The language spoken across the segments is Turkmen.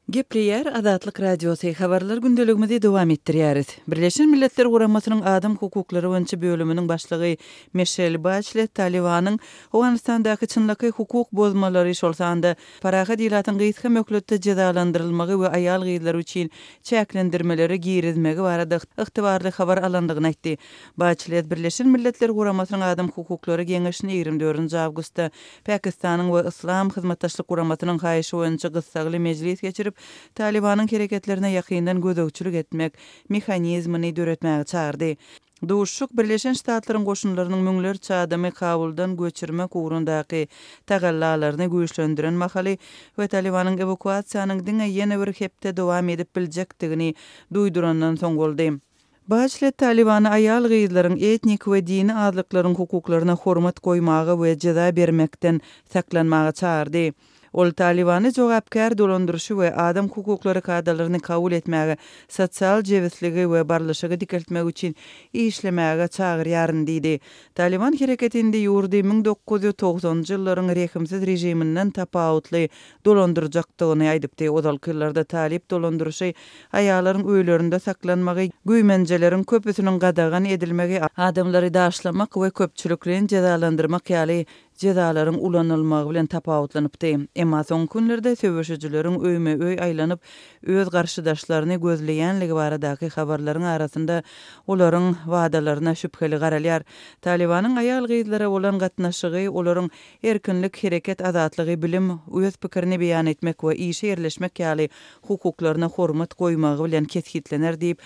Gepleýär Azatlyk Radiosy, Habarlar gündeligimizi dowam etdirýäris. Birleşen Milletler Guramasynyň Adam hukuklary boýunça bölüminiň başlygy Mişel Baçlet Talybanyň Owganystandaky çynlakaý hukuk bozmalary, şol sanda parahat ilatyň gysga möhletde jezalandyrylmagy we aýal-gyzlar üçin çäklendirmeleri girizmegi barada ygtybarly habar alandygyny aýtdy. Baçlet Birleşen Milletler Guramasynyň Adam hukuklary geňeşini 24 awgustda Pakistanyň we Yslam Hyzmatdaşlyk Guramasynyň haýyşy boýunça gyssagly mejlis geçirip, Talybanyň hereketlerine ýakyndan gözegçilik etmek mehanizmini döretmäge çagyrdy. Duşuşyk Birleşen Ştatlaryň goşunlarynyň müňlerçe adamy Kabuldan göçürmek ugrundaky tagallalaryny güýçlendiren mahaly we Talybanyň ewakuasiýanyň diňe ýene bir hepde dowam edip biljekdigini duýdurandan soň boldy. Baçlet Talybany aýal-gyzlaryň, etnik we dini azlyklaryň hukuklaryna hormat goýmaga we jeza bermekden saklanmaga çagyrdy. Ol Talybany jogapkär dolandyryşy we adam hukuklary kadalaryny kabul etmäge, sosial jebisligi we barlyşygy dikeltmek üçin işlemäge çagyrýaryn diýdi. Talyban hereketi indi ýurdy 1990-njy ýyllaryň rehimsiz režiminden tapawutly dolandyrjakdygyny aýdypdy. Ozalky ýyllarda talyp dolandyryşy aýallaryň öýlerinde saklanmagy, güýmenjeleriň köpüsiniň gadagan edilmegi, adamlary daşlamak we köpçülikleýin jezalandyrmak ýaly jezalaryň ulanylmagy bilen tapawutlanypdy. Emma soňky günlerde söweşijileriň öýme-öý aýlanyp, öz garşydaşlaryny gözleýänligi baradaky habarlaryň arasynda olaryň wadalaryna şübheli garalýar. Talybanyň aýal-gyzlara bolan gatnaşygy olaryň Erkinlik, hereket azatlygy, bilim, öz pikirini beýan etmek we işe ýerleşmek ýaly hukuklaryna hormat goýmagy bilen kesgitlener diýip,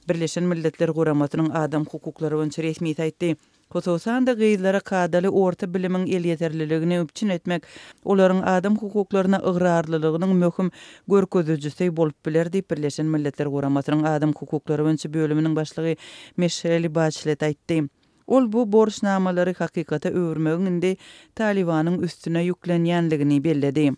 Birleşen Milletler Guramasynyň adam hukuklary boýunça resmisi aýtdy. Hususan-da, gyzlara kadaly orta bilimiň elýeterliligini üpjün etmek olaryň adam hukuklaryna ygrarlylygynyň möhüm görkezijisi bolup biler diýip, Birleşen Milletler Guramasynyň adam hukuklary boýunça bölüminiň başlygy Mişel Baçlet aýtdy. Ol bu borçnamalary hakykata öwürmegiň indi Talybanyň üstüne ýüklenýänligini belledi.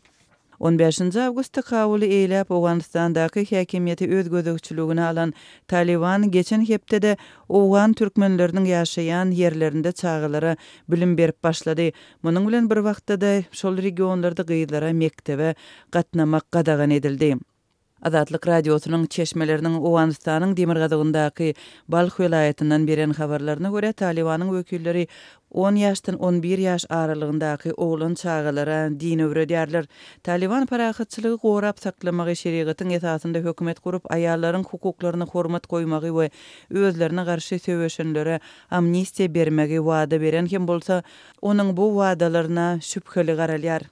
On bäşinji awgustda Kabuly eýläp, Owganystandaky häkimiýeti öz gözegçiligine alan Talyban geçen hepdede owgan türkmenleriniň ýaşaýan ýerlerinde çagalara bilim berip başlady. Munuň bilen bir wagtda-da şol regionlarda gyzlara mekdebe gatnamak gadagan edildi. Azatlyk Radiosynyň çeşmeleriniň Owganystanyň demirgazygyndaky Balh welaýatyndan beren habarlaryna görä, Talybanyň wekilleri on ýaşdan on bir ýaş aralygyndaky oglan çagalara din öwredýärler. Talyban parahatçylygy gorap saklamagy, şerigatyň esasynda hökümet gurup, aýallaryň hukuklaryna hormat goýmagy we özlerine garşy söweşenlere amnistiýa bermegi wada beren hem bolsa, onuň bu wadalaryna şübheli garalýar.